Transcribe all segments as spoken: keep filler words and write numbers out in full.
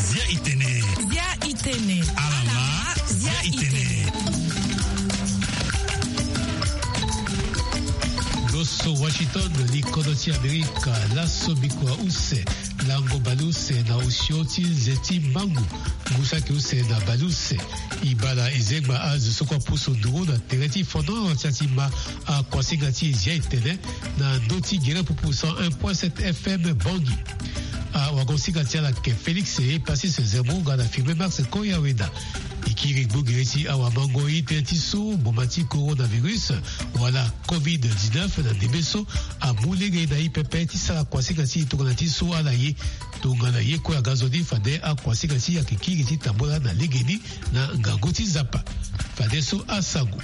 Zia itene. Zia itene. Alama. Zia itene. Lo so Washington, li kodro ti Amerika, laso bikua use, lango baleuse na osio ti nze ti mangu, ngu saki use na baleuse. E baa na ezengba azo so kue apusu nduru na tere ti fono ti atima akuasinga ti Zia itene na ndö ti gere pupu cent un point sept F M Bangui. Awagosinga ti ala ayeke Félix Epasis Zemmour nga na Firmin Max Koyawena. E kiri gbogere ti awamangoi tënë ti so mboma ti coronavirus wala covid dix-neuf na ndembe so amu lege na e pepe ti sara kuasinga ti e tongana ti so ala ye. Tongana ye kue aga zo ni fade akuasinga ti e ayeke kiri ti tambula na legeni na ngangu ti Nzapa. Fadeso asango.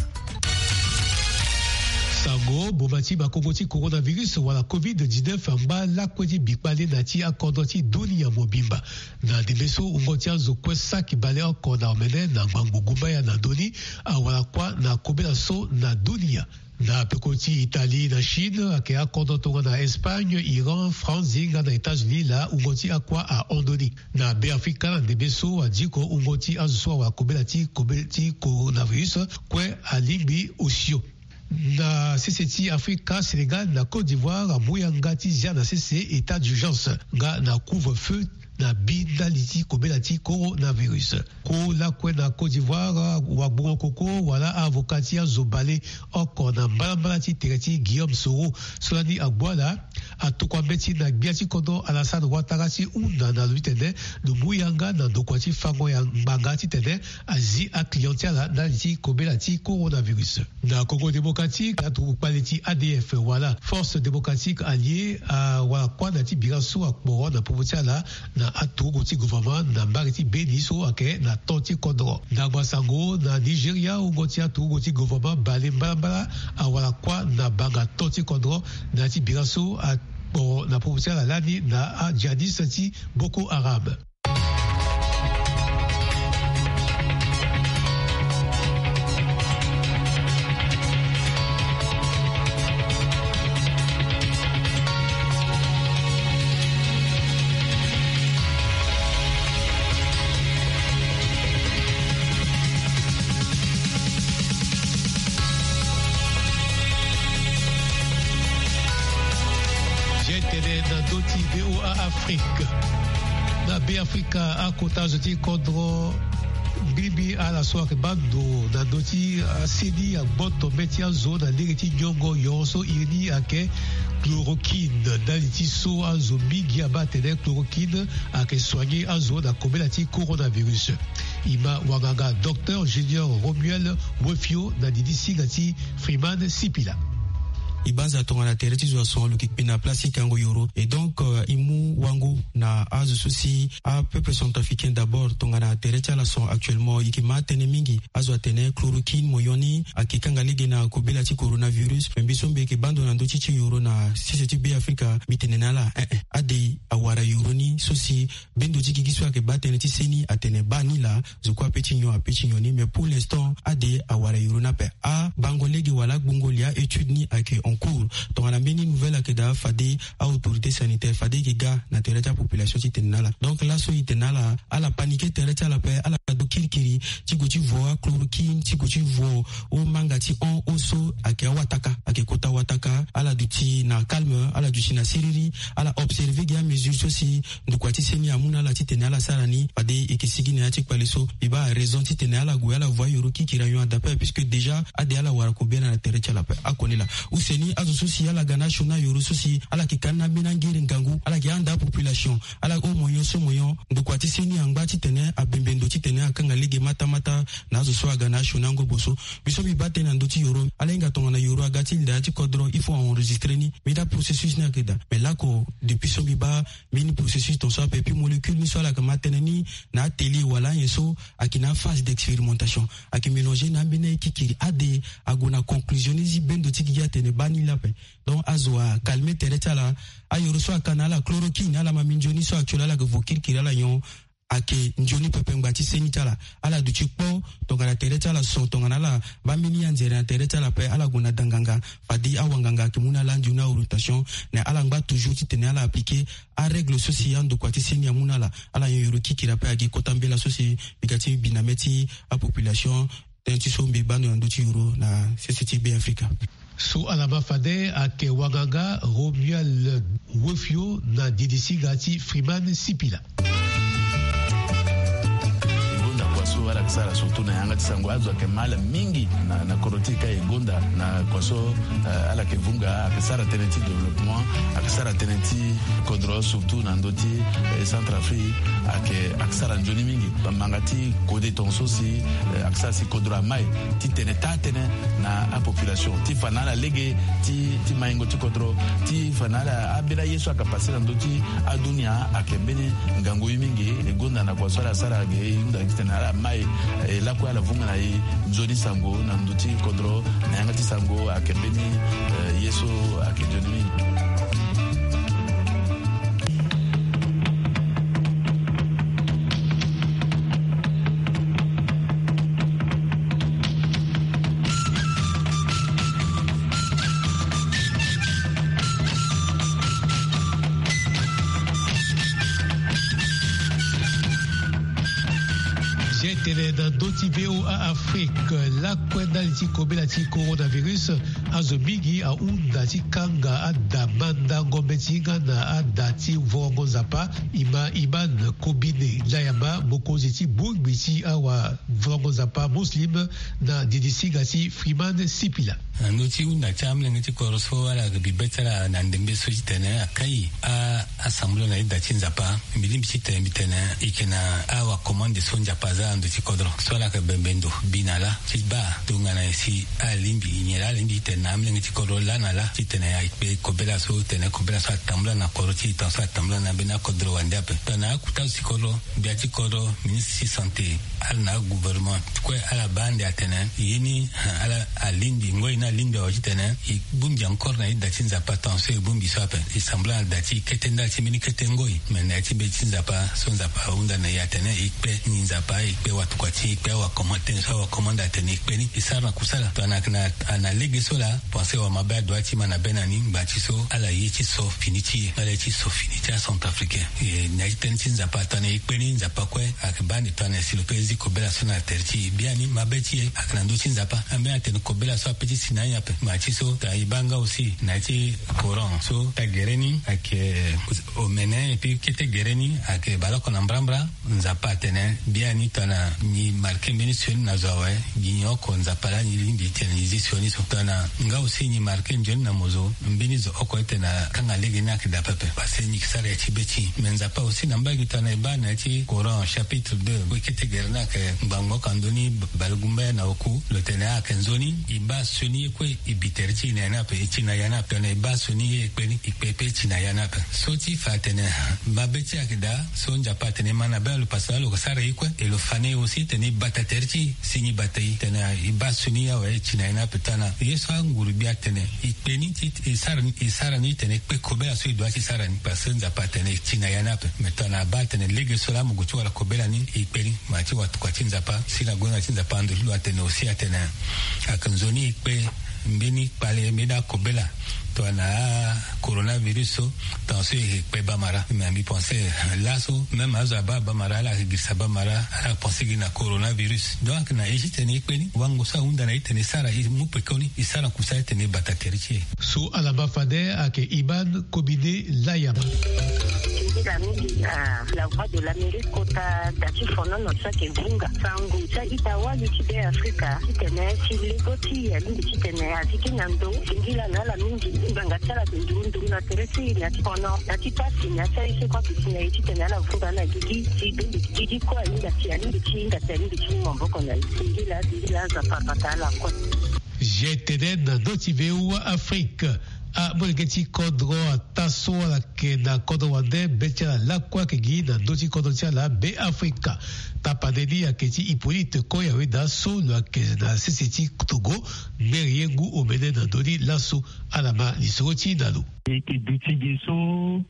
Sango, mboma ti makongo ti coronavirus wala covid dix-neuf angba lakue ti bikpale na ti akodro ti dunia mobimba. Na ndembe so wungo ti azo kue saki bale oko na omene na ngbangbo gumbaya na ndö ni, awara kuâ na kobela so na dunia. Na peko ti Italie na Chine ayeke akodro tongana Espagne, Iran, France nga na États-Unis laa wungo ti akuâ ahon ndö ni. Na Beafrika na ndembe so adiko wungo ti azo so awara kobela ti kobela ti coronavirus kue alingbi osio. Na sese ti Afrika, Sénégal na Côte d'Ivoire amu yanga ti zia na sese état d'urgence nga na couvre-feu na bi ndali ti kobela ti coronavirus. Ko lakue na Côte d'Ivoire, wagbongo koko wala avocat ti azo bale oko na mbalambala ti tere ti Guillaume Soro so lani agbu ala, atokua mbeti na gbia ti kodro Alassane Ouattara ti hunda na lo titene lo mu yanga na ndokua ti fango ya ngbanga titene azi aclient ti ala ndali ti kobela ti coronavirus. Na Congo Démocratique, aturugu kpale ti A D F wala Force Démocratique Alliée awara kuâ na ti bira so akporo na popo ti ala na aturugu ti gouvernement na mbage ti Beni so ayeke na to ti kodro. Ndangba sango, na Nigeria wungo ti aturugu ti gouvernement bale mbalambala awara kuâ na banga to ti kodro na ya ti bira so akporo na popo ti ala lani na ajihadiste ti Boko Haram. Zia itene na ndö ti V O A Afrique. Na Beafrika, akota zo ti kodro ngbiringbi ala so ayeke baa ndo na ndö ti aseni agboto mbeti azo na lege ti nyongo yoro so iri ni ayeke chloroquine. Ndali ti so azo mingi abaa atene chloroquine ayeke soigner azo na kobela ti coronavirus. E ma wanganga Docteur Junior Romuel Wefio na didi singa ti Freeman Sipila. E banza tongana tere ti zo ason lo yeke kpe na place ti kango yoro. Et donc, euh, e mu wango na azo so si apeuple centrafricain d'abord tongana tere ti ala son actuellement. E yeke ma atene mingi, azo atene chloroquine moyen ni ayeke kanga lege na kobela ti coronavirus. Me mbi so mbi yeke baa ndo na ndö ti ti yoro na sese ti Beafrika, mbi tene na ala, eh, eh, ade awara yoro ni so si bendo ti gigi so ayeke baa tënë ti seni atene baa ni laa. Zo kue ape ti nyon, ape ti nyon ni, mais pour l'instant ade awara yoro ni ape. Abango lege wala agbongo li, a-étude ni ayeke en cours. Tongana mbeni nouvelle ayeke daa, fade a-autorité sanitaire fade e yeke ga na tere ti apopulation ti tene na ala. Donc laso e tene na ala, ala paniquer tere ti ala ape, ala do kirikiri ti gue ti vo achloroquine, ti gue ti vo omanga ti hon, hon so ayeke awataka, ayeke kota wataka. Ala duti na calme, ala duti na siriri, ala observer gi amesure so si ndokua ti seni amu na ala titene ala sara ni. Fade e yeke sigi na ya ti kpale so. Mbi baa raison titene ala gue ala voa yoro kirikiri ayon adape, puisque déjà ade ala wara kobela na tere ti ala ape. Akoni laa use ni azo so si ala ga na asioni na yoro so si ala yeke ka ni na ambeni angere ngangu, ala yeke handa apopulation, ala o moyen so moyen. Ndokua ti seni angba titene abembe ndo titene akanga lege matamata na azo so aga na asioni na ngobo so. Mbi so mbi baa tënë na ndö ti yoro, ala hinga tongana yoro aga ti li na ya ti kodro, il faut a enregistrer ni. Mbi daa processus ni ayeke daa. Mais lako depuis so mbi baa mbeni processus ton so ape, puis molécule ni so ala yeke ma tënë ni na atelier wala anyen so ayeke na aphase d'expérimentation, ayeke mélanger na ambeni aye kirikiri. Ade ague na conclusion ni si bendo ti gigi atene baa ni laa ape. Donc azo acalmer tere ti ala. Ayoro so aka na ala chloroquine, ala ma minzoni so actuel ala yeke vo kirikiri ala nyon. ayeke nzoni pepe ngba ti seni ti ala. Ala duti kpo tongana tere ti ala so, tongana ala baa mbeni anzere na tere ti ala ape, ala gue na da nganga. Fade awanganga ayeke mu na ala andi na orientation, na ala ngba toujours titene ala appliquer arègle so si andokua ti seni amu na ala. Ala nyon yoro kikiri ape agi kota mbela so si mbi ga ti bi na mê ti apopulation. Tënë ti so mbi baa ndo na ndö ti yoro na sese ti Be Afrika. So ala ma fade ayeke wanganga Romuald Wefio na didisiga ti Freeman Sipila. E gonda kua so ala yeke sara surtout na yanga ti sango, azo ayeke ma ala mingi na, na kodro ti e ka. E gonda na kua so, eh, ala yeke vunga, ayeke sara tënë ti développement, ayeke sara tënë ti kodro surtout na ndö ti, eh, Centrafrique, ayeke, ayeke sara nzoni mingi. Bamanga ti kode tongaso si, eh, ayeke sara si kodro amai titene taa tënë na apopulation ti fa na ala lege ti, ti maingo ti kodro, ti fa na ala ambeni aye so ayeke pase na ndö ti adunia ayeke mbeni ngangu ye mingi. E gonda na kua so ala sara ge, e hunda titene ala mai, eh, lakue ala vunga na e nzoni sango na ndö ti kodro, na yanga ti sango ayeke mbeni, eh, ye so ayeke nzoni mingi. Zia tene na ndö ti V O A Afrique, lakue ndali ti kobela ti coronavirus, azo mingi ahunda ti kanga ada mandango mbeti nga na ada ti vongo Nzapa. E ma Iman Kobine Layama, mokonzi ti bongbi ti awavango Nzapa muslim na didisiga ti Freeman Sipila. Na ndö ti hunda ti amolenge ti kodro so ala bi be ti ala na ndembe so titene akai a, asambula na ida ti Nzapa. Mbi lingbi titene mbi tene e yeke na awakomande so Nzapa aza na ndö ti kodro so ala yeke bembe ndo bi na ala ti baa tongana nyen si ala lingbi, nyen laa ala lingbi titene na amolenge ti kodro laa na ala titene ayeke kpe kobela so, tene kobela so atambula na kodro ti e tongaso atambula na mbeni akodro wande ape. Tongana akuta azo ti kodro, gbia ti kodro, ministre ti santé, ala na agouvernement kue ala baa ande atene ye ni, ala alingbi ngoi ni alingbi awe titene e bongbi encore na ida ti Nzapa tongaso e bongbi so ape. E sambula na da ti kete ndali ti mbeni kete ngoi, me na ya ti be ti Nzapa so Nzapa ahunda na e atene e kpe ni Nzapa, e kpe watokua ti e, e kpe awakomande, tënë so awakomande atene e kpe ni, e sara na kusala. Tongana ayeke na, na lege so laa, pense wamabe adoit ti ma na be na ni ngba ti so ala ye ti so fini ti e, ala ye ti so fini ti acentrafricain. E, na ya ti tënë ti Nzapa tongana e kpe ni, Nzapa kue ayeke baa ande tongana si lo pe zi kobela so na tere ti e. Biani mabe ti e ayeke na ndö ti Nzapa. Ambeni atene kobela so ape ti si na anyen ape. Ngba ti so tongana e baa nga aussi na ya ti Coran so, kete gere ni ayeke omene, et puis kete gere ni ayeke baleoko na mbrambra. Nzapa atene biani tongana nyi marke mbeni sioni na zo awe, gi nyon oko Nzapa laa nyi lingbi titene nyi zi sioni so. Tongana nga aussi nyi marke nzoni na mo zo, mbeni zo oko titene akanga lege ni ayeke daa pepe, parce que nyi yeke sara ya ti be ti nyi. Me Nzapa aussi na mbage tongana e baa na ya ti Coran chapitre deux, kue kete gere ni ayeke ngbangbo oko na ndö ni, balegumbaya na oku, lo tene ayeke nzoni. E baa sioni ye kue e bi tere ti e na ya ni ape, e ti na ya ni ape. Tongana e baa sioni ye e kpe ni, e kpe pe e ti na ya ni ape. So ti fa atene mabe ti e ayeke daa, so Nzapa atene e ma na be lo, parce que lo sara ye kue, e lo fa na e aussi titene e bata tere ti e si nyi bata e. Tene e baa sioni ye awe, e ti na ya ni ape. Tongana ye so anguru gbia atene e kpe ni ti e sara ni, e sara ni titene e kpe kobela so e doit ti sara ni, parce que Nzapa atene e ti na ya ni ape. Me tongana abaa atene lege so laa mo gue ti wara kobela ni, e kpe ni. Ma ti watokua ti Nzapa, si na gonda ti Nzapa ando ti lo atene aussi atene ayeke nzoni e kpe mbeni kpale, mbeni akobela tongana coronavirus so, tongaso e yeke kpe bamara. Me mbi pense laso même azo abaa bamara, ala yeke girisa bamara, ala pense gi na coronavirus. Donc ayeke na e titene e kpe ni, wango so ahunda na e titene e sara, e mu pekoni, e sara kusala titene e bata tere ti e. So ala ma fade ayeke Iman Kobine Layama. Singila mingi na La Voix de l'Amérique kota da ti fonono so ayeke vunga sango ti a-ita wali ti Be Afrika titene si lego ti e alingbi titene azi gi na ndo. Singila na ala mingi, ngbanga ti ala ayeke nduru nduru na tere ti e, na ya ti fono, na ya ti pasi, na ya ti aye so kue ayeke si na e titene ala vunga na gigi ti be mbi gigi kue ahinga ti, alingbi ti hinga ti, alingbi ti mu maboko na e. Singila, singila, Nzapa abata ala kue. G T N na ndö ti V O A Afrique. Amolenge ti kodro ataa so ala ayeke na kodro wande be ti ala lakue ayeke gi na ndö ti kodro ti ala Be Afrika. Tapande ni ayeke ti Hippolyte Koyaweda so lo yeke na sese ti Togo, ngeri ye ngu omene na ndö ni laso. Ala ma lisoro ti na lo. E yeke duti ge so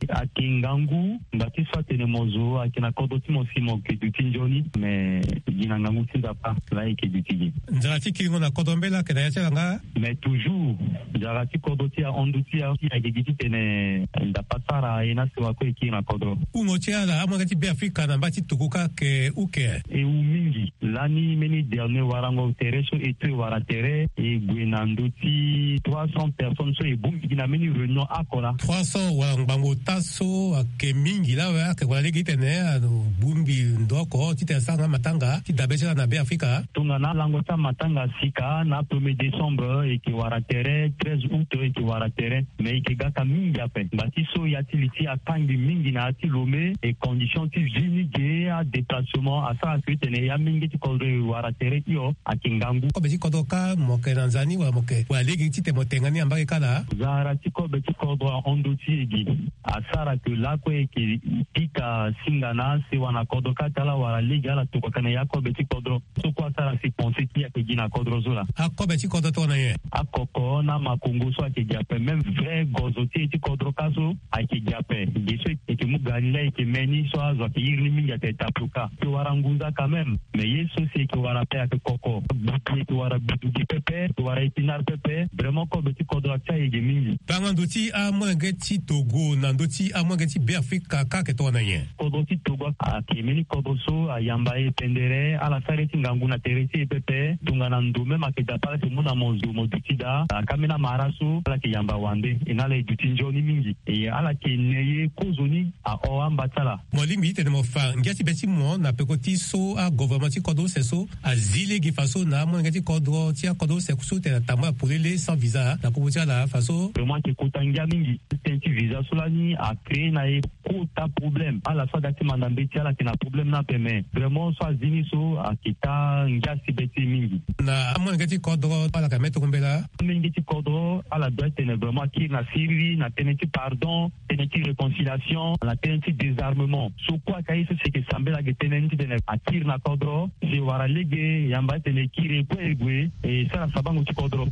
ayeke ngangu, ngba ti so atene mo zo ayeke na kodro ti mo si mo yeke duti nzoni, me gi na ngangu ti Nzapa laa e yeke duti ge. Nzara ti kiringo na kodro mbela ayeke na ya ti ala nga? Mais toujours, nzara ti kodro ti ahon ndö ti e ayeke gi titene Nzapa sara e na sewa kue e kiri na kodro. Hungo ti ala amolenge ti Be Afrika na mba ti Togo kâ ayeke uke? E hu mingi. Lani mbeni dernier warango tere so e to e wara tere, e gue na ndö ti trois cents personnes so e bongbi gi na mbeni réunion oko laa. Trois cents wala ngbangbo ota so ayeke mingi laa awe, ayeke wara lege titene abongbi ndo oko titene asara nga matanga ti dabe ti ala na Be Afrika. Tongana lango ti amatanga asika na premier décembre, e yeke wara tere, treize août e yeke wara tere. Mais e yeke gaka mingi ape. Ngba ti so ya ti li ti akangbi mingi na ya ti Lomé, e condition ti vie ni ge, adéplacement asara si titene ya mingi ti kodro e wara tere hio ayeke ngangu. Kobe ti kodro kâ mo yeke na nza ni wala mo yeke wara lege titene mo tenga ni na mbage kâ laa? Zara ti kobe ti kodro ahon ndö ti e ge. Asara ke lakue e yeke pika singa na asewa na kodro kâ ti ala wala lege ala tokua tene ya kobe ti kodro. So kue asara si pensé ti e ayeke gi na kodro so laa. Akobe ti kodro tongana nyen? Akoko na makongo so ayeke gi ape, même vrai gozo ti e ti kodro kâ so ayeke gi ape. Ge so e yeke mu ga ni laa e yeke me ni so azo ayeke iri ni mingi ayeke tapioka. E yeke wara ngunza quand même. Mais ye so si e yeke wara ape ayeke koko. Gbutu e yeke wara gbutu gi pepe, e yeke wara épinard pepe. Vraiment kobe ti kodro atia e ge mingi. Tanga ndö ti amolenge ti Togo na ndö ti amolenge ti Be Afrika kâ ayeke tongana nyen? Kodro ti Togo ayeke mbeni kodro so ayamba e pendere, ala sara ye ti ngangu na tere ti e pepe. Tongana ndo même ayeke daa pe ala yeke mu na mo zo mo duti daa. Aka mbeni amara so ala yeke yamba wande, e na ala e duti nzoni mingi. E ala yeke ne ye kozoni ahon amba ti ala. Mo lingbi titene mo fa ngia ti be ti mo na peko ti so agouvernement ti kodro use so azi lege faso na amolenge ti kodro ti akodro use so tene atambula polele sans visa na popo ti ala faso. Vraiment ayeke kota ngia mingi. Système ti visa so lani acréé na e kota problème. Ala so aga ti manda mbeti ala yeke na problème ni ape, mais vraiment so azi ni so ayeke taa ngia si be ti e mingi. Na amolenge ti kodro ala yeke me tongana mbela? Amolenge ti kodro ala doit tene vraiment akiri na siriri na tënë ti pardon, tënë ti réconciliation, na tënë ti désarmement. So kue ayeke aye so si e yeke sambela ayeke tënë ni titene akiri na kodro si e wara lege yamba titene e kiri e kue e gue e sara sabango ti kodro.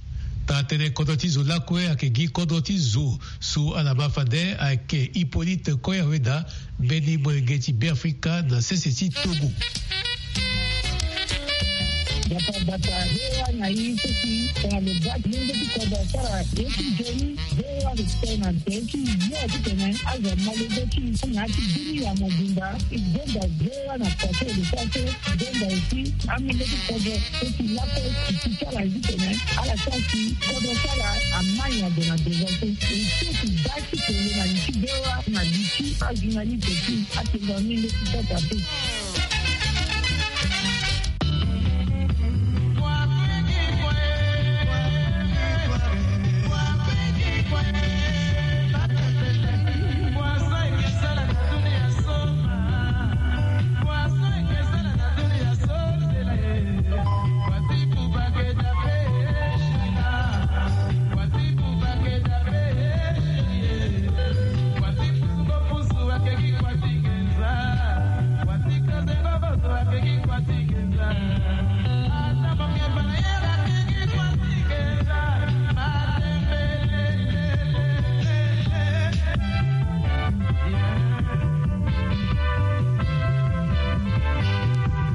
Taa tënë kodro ti zo lakue ayeke gi kodro ti zo so ala ma fade ayeke Hippolyte Koyaweda, mbeni molenge ti Beafrika na sese ti Togo. Bata bata, V O A na e so si tongana lo baa ti lenge ti kodro asara ye ti nzoni, V O A lo tene na tere ti yo titene azo ma lege ti e na ya ti bini ya mobimba. E gonda V O A na poto lo sara so, e gonda aussi amolenge ti kodro so si lakue e ti ti ala ye titene ala sara si kodro ti ala amai ado na devant so. E so si baa ti kele na li ti V O A na li ti ajournaliste ti atenda amolenge ti kota so.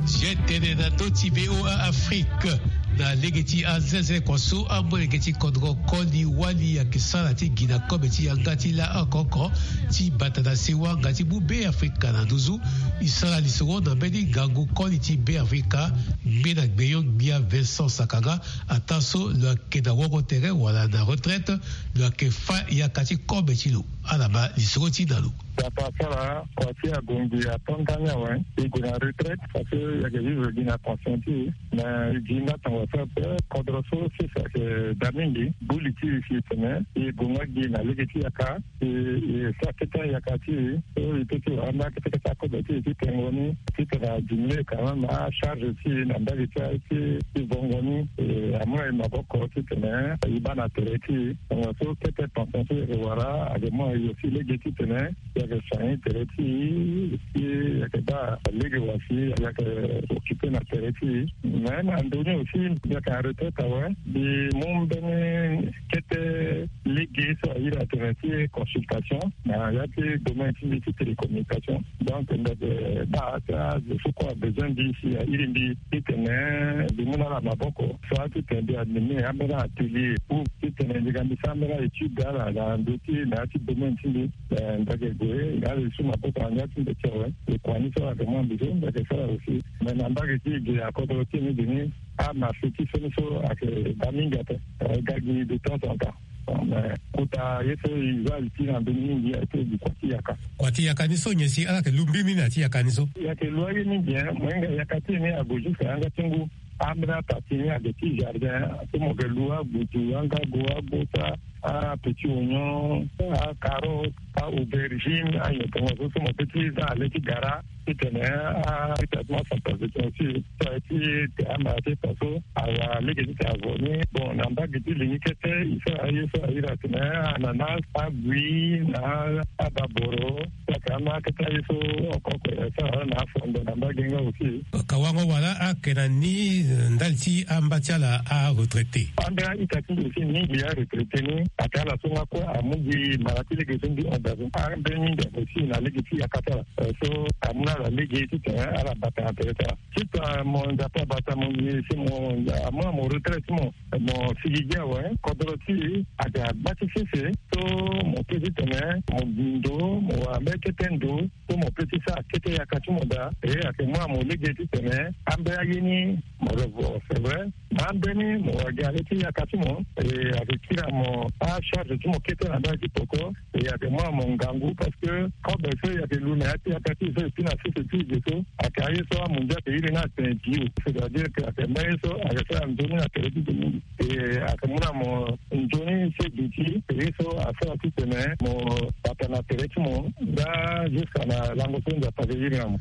Ti e tene na ndö ti V O A Afrique. Na lege ti azenze kua so amolenge ti kodro koli wali ayeke sara ti gi na kobe ti yanga ti laoko oko ti bata na sewa nga ti mu Beafrika na nduzu. E sara lisoro na mbeni ngangu koli ti Beafrika, ngbene gbenyo-gbia Vincent Sakanga, ataa so lo yeke na wongo tere wala na retraite, lo yeke fa yaka ti kobe ti lo. Ala ma lisoro ti na lo. Dapa asara kua ti agongbi ato ndani awe. E gue na retraite parce que e yeke vivre gi na conscient ti e. Mais e gi nga tongo Kodro so sese ayeke daa mingi. Buli ti e si tene e gue nga gi na lege ti yaka. E sara kete ayaka ti e so e pe ti wara ambeni akete kete akobe ti e ti tengo ni titene adimine quand même acharge ti e na mbage ti aye ti vongo ni. E amu na e maboko titene e baa na tere ti e. Tongaso kete pension so e yeke wara ayeke mu na e aussi lege titene e yeke soigner tere ti e si e yeke baa lege wa si e yeke occuper na tere ti e. Mais na ndo ni aussi mbi yeke na retraite awe. Mbi mu mbeni kete lege so ahiri atene ti consultation na ya ti domaine ti mbi ti télécommunication. Donc mbi yeke baa ti azo so kue abezoin mbi si ahiri mbi titene mbi mu na ala maboko soit titene mbi anime ambeni atelier ou titene mbi ga mbi sara ambeni étude ala na ndö ti na ya ti domaine ti mbi. Mbi yeke gue na ala li so maboko na ngia ti mbi ti awe. Ekua ni so ayeke mu na mbi so mbi yeke sara aussi. Mais na mbage ti e ge akodro ti e ni ge ni amarché ti so ni so ayeke daa mingi ape. Ga gi de temps en temps. Mais kota ye so e za li ti na mbeni mingi ayeke gi kua ti yaka. Kua ti yaka ni so nyen si ala yeke lu mbiri ni na ya ti yaka ni so? E yeke lu aye mingi. Mohinga yaka ti e ni ague jusque na yanga ti ngu. Ambeni ataa ti ni ayeke ti jardin so mo yeke lu agbutu, angago, agbosa, apetit oignon, acarotte, aaubergine, anyen tongaso so mo pe ti za na le ti gara titene atraitement centrafricain aussi so aye ti te amara ti eta so awara lege titene avo ni. Bon, na mbage ti li ni kete e sara aye so ahiri atene ananas, agui na ababoro. Saka ama kete aye so oko oko e sara na afondo na mbage nga aussi. Kawango wala ayeke na ni ndali ti amba ti ala aretraité? Ambeni a-ita ti mbi aussi mingi aretraité ni ayeke ala so nga kue amu gi mara ti lege so mbi hon daa so. Ambeni mingi ayeke aussi na lege ti yaka ti ala so amu na ala lege titene ala bata na tere ti ala. Titene mo Nzapa abata mo nzoni si mo amu na mo retraite ti mo, mo sigi gi awe. Kodro ti e ayeke agba ti sese so mo pe titene mo gi ndo, mo wara mbeni kete ndo so mo pe ti sara kete yaka ti mo daa. E ayeke mu na mo lege titene ambeni aye ni mo revo, c'est vrai. Na ambeni mo wara gi na le ti yaka ti mo. E ayeke kiri na mo acharge ti mo kete na ndali ti peko. E ayeke mu na mo ngangu parce que kobe so e yeke lu na ya ti yaka ti e so e pi na sese ti e ge so ayeke aye so amundia ayeke iri ni atene bio, c'est-à-dire que ayeke mbeni ye so ayeke sara nzoni na tere ti e mingi. E ayeke mu na mo nzoni se duti ye so asara titene mo bata na tere ti mo nga jusqu'à na lango so Nzapa ayeke iri na mo.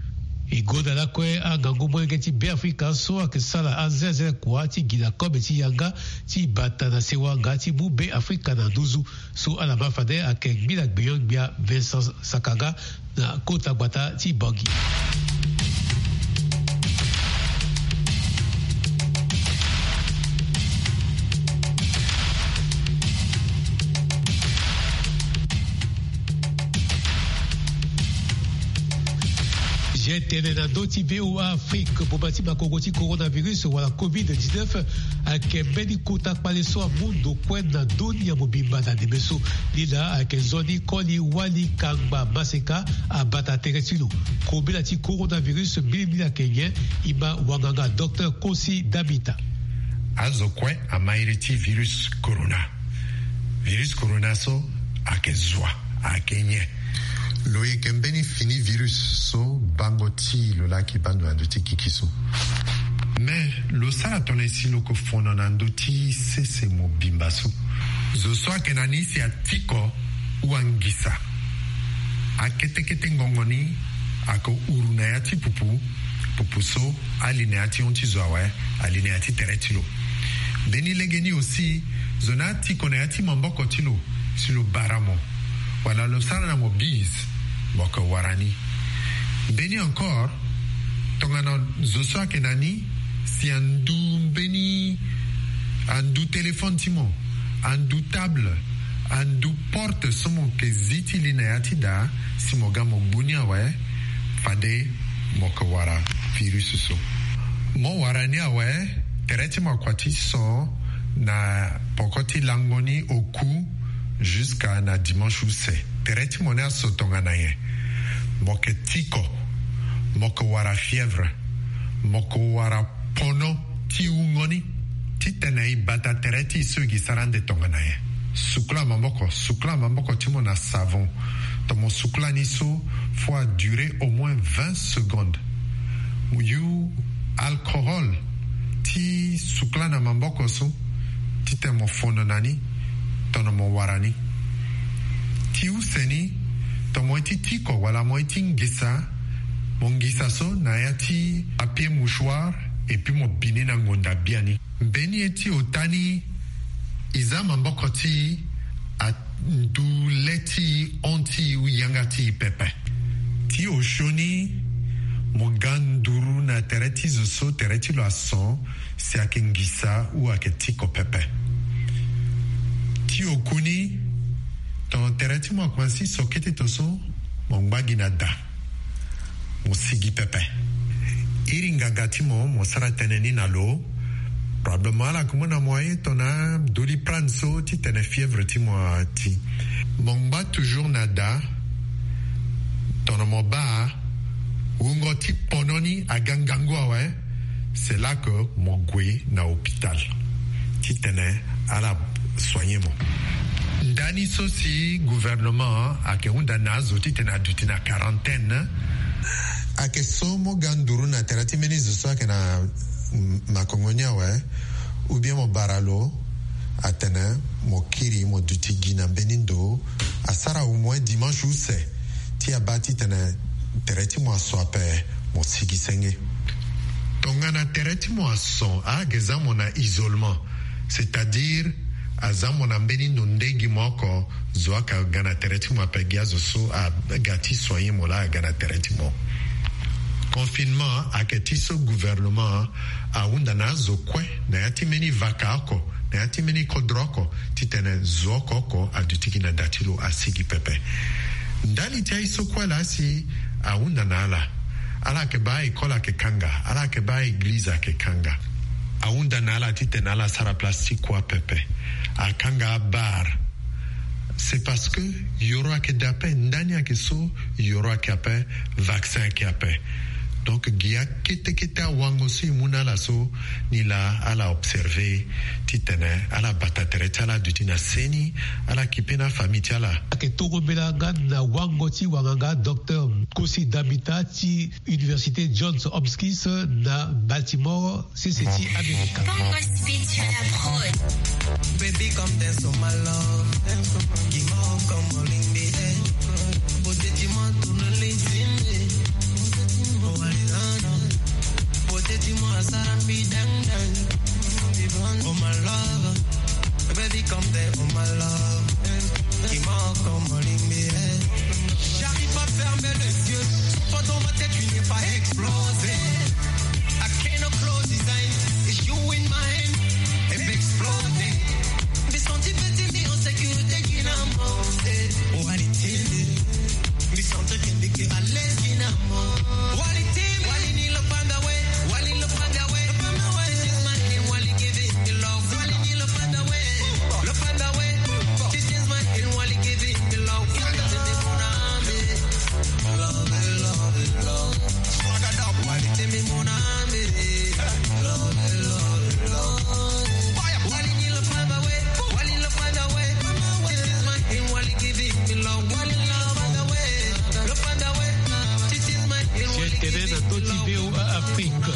E gonda lakue angangu molenge ti Beafrika so ayeke sara azelazela kua ti gi na kobe ti yanga ti bata na sewa nga ti mu Beafrika na nduzu. So ala ma fade ayeke ngbila gbenyo-gbia Vincent Sakanga na kota gbata ti Bangui. Ge tene na ndö ti V O A Afrique, boma ti makongo ti coronavirus wala covid dix-neuf ayeke mbeni kota kpale so amu ndo kue na ndö ni ya mobimba na ndembe so. Ni laa ayeke nzoni koli wali kangba maseka abata tere ti lo. Kobela ti coronavirus mbilimbili ayeke nyen? E ma wanganga docteur Kosi Damita. Azo kue ama iri ti virus corona. Virus corona so ayeke zo wa, ayeke nyen? Lo yeke mbeni fini virus so bango ti lo laki baa ndo na ndö ti kiki so. Me lo sara tongana si lo yeke fono na ndö ti sese mobimba so. Zo so ayeke na ni si atiko ou angisa, akete kete ngongo ni ayeke uru na ya ti pupu. Pupu so ali na ya ti hon ti zo awe, ali na ya ti tere ti lo. Mbeni lege ni aussi, zo ni atiko na ya ti maboko ti lo si lo bara mo, wala lo sara na mo bise, mo yeke wara ni. Mbeni encore, tongana zo so ayeke na ni si andu mbeni, andu téléphone ti mo, andu table, andu porte so mo yeke zi ti li na ya ti daa, si mo ga mo gbu ni awe, fade mo yeke wara virus so. Mo wara ni awe, tere ti mo akua ti so na poko ti lango ni oku jusqu'à na dimanche use. Tere ti mo ni aso tongana nyen? Mo yeke tiko, mo yeke wara fièvre, mo yeke wara pono ti wungo ni. Titene e bata tere ti e so e gi sara ande tongana nyen? Sukula maboko, sukula maboko ti mo na savon. Tongana mo sukula ni so, faut a durer au moins vingt secondes. Yu alcohol ti sukula na maboko so titene mo fondo na ni, tongana mo wara ni. Ti use ni, tongana mo ye ti tiko wala mo ye ti ngisa, mo ngisa so na ya ti papier mouchoir, et puis mo bi ni na ngonda biani. Mbeni ye ti ota ni, e za maboko ti e, andu le ti e, hon ti e ou yanga ti e pepe. Ti osio ni, mo ga nduru na tere ti zo so tere ti lo ason, si ayeke ngisa ou ayeke tiko pepe. Ti oku ni, tongana tere ti mo akumansi so kete to so, mo ngba gi na da, mo sigi pepe. Iri nganga ti mo, mo sara tënë ni na lo. Probablement ala yeke mu na mo aye tongana Doliprane so titene fièvre ti mo ati. Mo ngba toujours na da. Tongana mo baa wungo ti pono ni aga ngangu awe, c'est là que mo gue na hôpital titene ala soigner mo. Ndani so si gouvernement ayeke hunda na azo titene aduti na quarantaine, ayeke so mo ga nduru na tere ti mbeni zo so ayeke na, mm, makongo ni awe, ou bien mo bara lo atene mo kiri mo duti gi na mbeni ndo, asara au moins dimanche use, ti abaa titene tere ti mo aso ape, mo sigi senge. Tongana tere ti mo ason, ayeke za mo na isolement, c'est-à-dire aza mo na mbeni ndo nde gi mo oko, zo ayeke ga na tere ti mo ape, gi azo so aga ti soigner mo laa aga na tere ti mo. Confinement ayeke ti so gouvernement ahunda na azo kue na ya ti mbeni vaka oko, na ya ti mbeni kodro oko, titene zo oko oko aduti gi na da ti lo, asigi pepe. Ndali ti aye so kue laa si ahunda na ala, ala yeke baa école ayeke kanga, ala yeke baa église ayeke kanga. Ahunda na ala titene ala sara place ti kua pepe. Akanga abar. C'est parce que yoro ayeke de ape, ndani ayeke so yoro ayeke ape, vaccin ayeke ape. Donc gi akete kete awango so e mu na ala so, ni laa ala observer titene ala bata tere ti ala aduti na seni, ala kipe na afamille ti ala. Ayeke tombela nga na wango ti wanganga docteur Kosi Damita ti Université Johns Hopkins na Baltimore, sese ti Amerika. Baby, come dance on my love. Give more, come on, in the air. Beauté, dis-moi, tourne les yeux. Oh, allez, non, non. Beauté, dis-moi, ça me dang, dang. Oh, my love. Baby, come there, oh, my love. Dis-moi, come on, in the air. J'arrive pas à fermer les yeux. Toi, dans ma tête, tu n'es pas explosé. I cannot close his eyes. It's you in my hand. It exploding. Mi senti petit, mi en sécurité, qui n'a monté. Oh, allez, t'es. Mi senti que mi à l'aise, qui n'a monté. Oh, allez, t'es. Wali ni lo panda we. Wali lo panda we. Lo panda we. This is my hand, Wali give it the love. Wali ni lo panda we. Lo panda we. This is my hand, Wali give it the love. Wali give it the love. Tene na ndö ti V O A Afrique.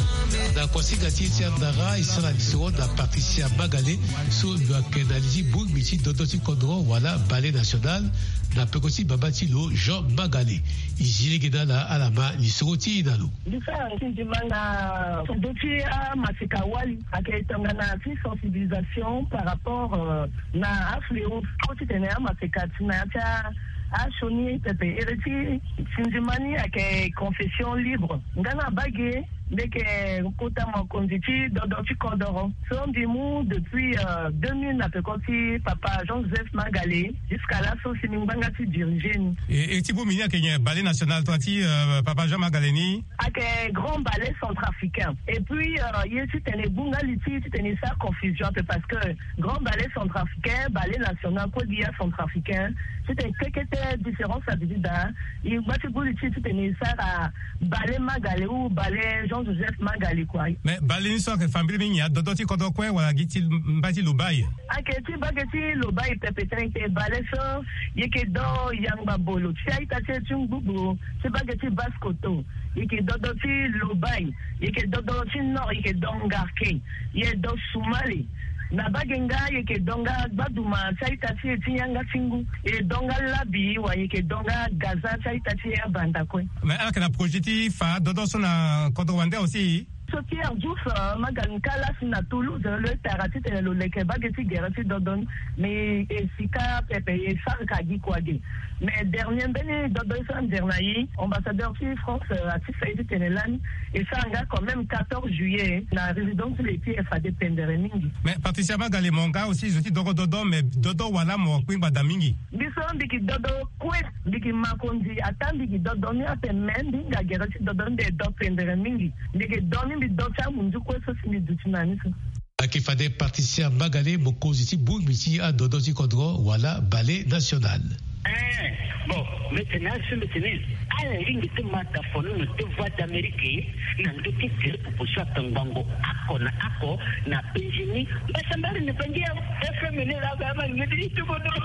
Na kuasinga ti e ti andara, e sara lisoro na Patricia Magale, so lo yeke na li ti bongbi ti dodo ti kodro wala Ballet National, na peko ti baba ti lo Jean Magale. E zi lege na ala, ala ma lisoro ti e na lo. Mbi sara ti ndima na ndö ti amaseka wali, ayeke tongana ti sensibilisation par rapport, euh, na afléau, titene amaseka ti na ya ti a, asioni pepe. Ere ti ndima ni ayeke confession libre. Nga na bage, mbi yeke kota mokonzi ti dodo ti kodoro. So mbi mu depuis, euh, deux mille na peko ti papa Jean-Joseph Magale, jusqu'à là so si mbi ngbanga ti diriger ni. E, e ti bongbi ni ayeke nyen, Ballet National, tongana ti, euh, papa Jean Magale ni? Ayeke Grand Ballet Centrafricain. Et puis, euh, ye titene e bu nga li ti, titene e sara confusion ape, parce que Grand Ballet Centrafricain, Ballet National, kue gi ya centrafricain, Titene kekete différence abi ti daa. E ngba ti guli ti titene e sara bale Magale ou bale Jean Joseph Magale kua. Mais bale ni so ayeke fa mbiri mingi, adodo ti kodro kue wala gi ti mbai ti Lobaye? Ayeke ti mbage ti Lobaye pepe tënë. Bale so e yeke do Yangba Bolo ti a-ita ti e ti Ngbubu, ti mbage ti Basse-Kotto. E yeke dodo ti Lobaye, e yeke dodo ti Nord, e yeke do Ngarke, e do Soumale. Na mbage nga e yeke do nga Gbaduma ti a-ita ti e ti yanga ti ngu, e do nga Labi, wa e yeke do nga Gaza ti a-ita ti e abanda kue. Mais ala yeke na projet ti fa dodo so na kodro wande aussi? So Pierre Diouf, euh, Magale ni kâ la si na Toulouse, euh, lo tara titene lo leke mbage ti gere ti dodo ni. Mais e si kâ pepe, e sara ka gi kua ge. Mais dernier mbeni dodo so andere na e, ambassadeur ti France, euh, ati fa e titene lani e sara nga quand même quatorze juillet na résidence ti le ti e, fade pendere mingi. Mais Patricia Magale, mo nga aussi zo ti dogo dodo, mais dodo wala mo kpingba daa mingi? Mbi so mbi yeke dodo kue, mbi yeke makonzi, ata mbi yeke dodo ni ape, me mbi hinga gere ti dodo ni, mbi yeke do pendere mingi. Mbi yeke do ni, mbi do ti amunzu kue so si mbi duti na ni so. Ayeke fade Patricia Magale, mokonzi ti bongbi ti adodo ti kodro wala Ballet National. Eh, bon, mbi tene azo, mbi tene ala lingbi ti ma tafono na ti Voix d'Amérique na ndö ti tere proposition atangbango oko na oko na penzi ni. Mbasambari ni bangi ya F M ni la, ba ma ngeti ni ti kodro.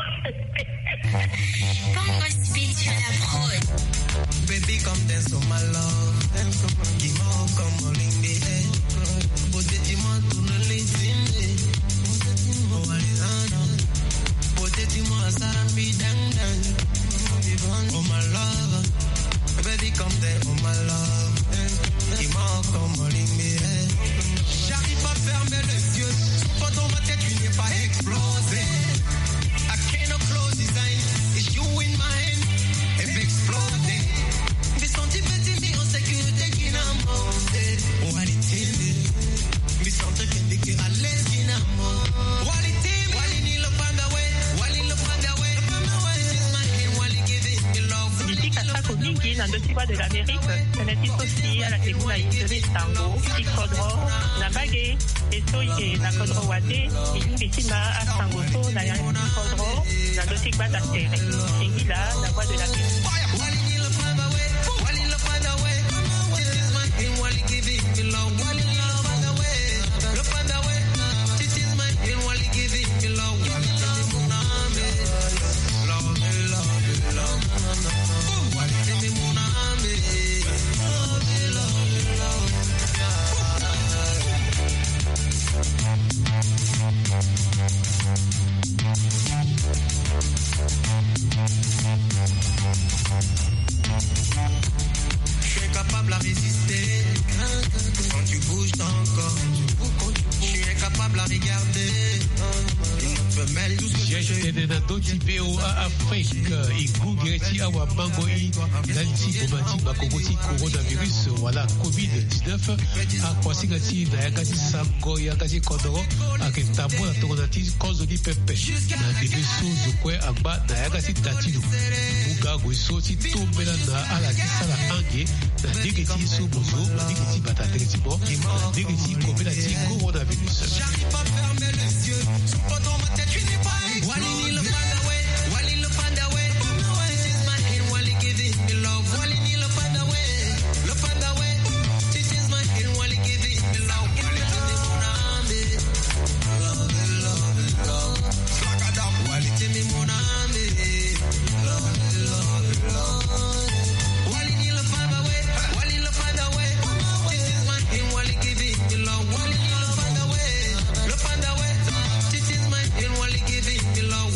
Bongo Speed sur la prod. Baby, come dance for my love. Dance for my love. Give my all, come on, ring the head. Beauté, dis-moi, tourne les yeux. Beauté, dis-moi, ça me dang dang. Oh, my love. Baby, come there, oh, my love. Dis-moi, come on, ring the head. J'arrive pas à fermer les yeux. Pas dans ma tête, tu n'es pas explosé. I cannot close his eyes. It's you in my hand. If exploding. Mbi senti petit, mbi en sécurité, qui n'a monté. Oh, allez, télé. Mbi senti que mbi ke à l'aise, qui n'a monté. Oh, allez, télé. Wali ni lo panda we. Wali lo panda we. Lo panda we. This is my hand, wali give it me love. Mbi sika sako mingi na ndö ti Voix de l'Amérique. Tënë ti so si ala yeke mu na e nzoni sango ti kodro na mbage. E so e yeke na kodro wande, e lingbi ti ma asango so na yanga ti kodro na ndö ti gbata tere. Singila na Voix de l'Amérique. Je suis incapable à résister quand tu bouges ton corps. Je suis incapable à regarder une autre femelle. Tout ce que je... Tene na ndö ti V O A Afrique, e gue gere ti awamango i ndali ti boma ti makongo ti coronavirus wala covid dix-neuf. Akuasinga ti na yanga ti sango yanga ti kodro ayeke tambula tongana ti kozo ni pepe. Na ndembe so zo kue angba na yanga ti da ti lo. Mu nga gue so ti tombela na ala ti sala ange na ndege ti so mo zo, na ndege ti bata tere ti mo, na ndege ti kobela ti coronavirus. J'arrive pas à fermer les yeux. Wali ni lo panda we, wali lo panda we. This is my hand, wali give it me love. Wali ni lo panda we, lo panda we. This is my hand, wali give it me love. Wali give it me love. Love, love, love. Wali give it me love. Love, love, love. Wali ni lo panda we, wali lo panda we. This is my hand, wali give it me love. Wali ni lo panda we, lo panda we. This is my hand, wali give it me love.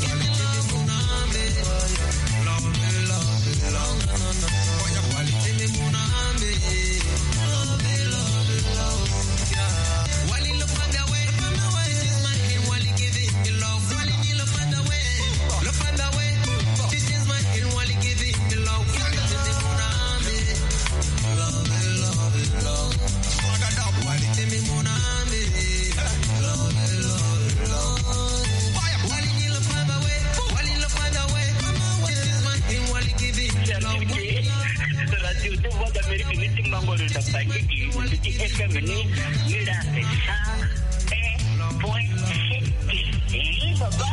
Radio ti Voix d'Amérique ni ti mango lo da bangiki ti F M ni, ni la sa un point sept. Eh, baba.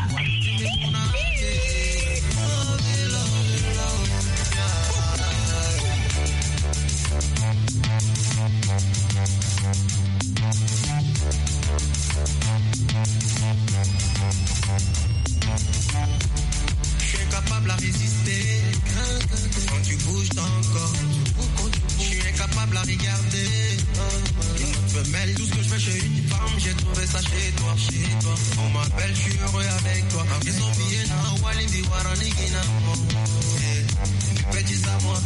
Quand tu bouges ton corps, je suis incapable à regarder. Une autre femelle, tout ce que je fais chez une femme, j'ai trouvé ça chez toi, chez toi. On m'appelle, je suis heureux avec toi. Ils ont bien, Walidi Waranigina. Petit amour.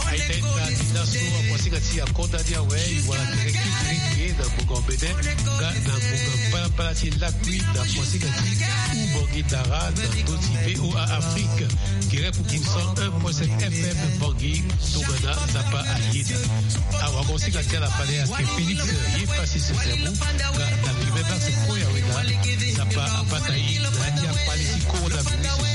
Aita ita ti laso akosi ka ti akonda ni awe, e wara tere kikiri ti e na ngonga mbene nga na ngonga palapala ti lakui na akosi ka ti Ubangi Dara na ndö ti V O A Afrique. Gere pour cent un point sept F M Bangui, tongana Nzapa ayeda. Awa akosi ka ti ala fade ayeke Félix, ye pasi Sesebu nga na Fimebax Koya Weda. Nzapa abata ye na ya ti akpale ti coronavirus.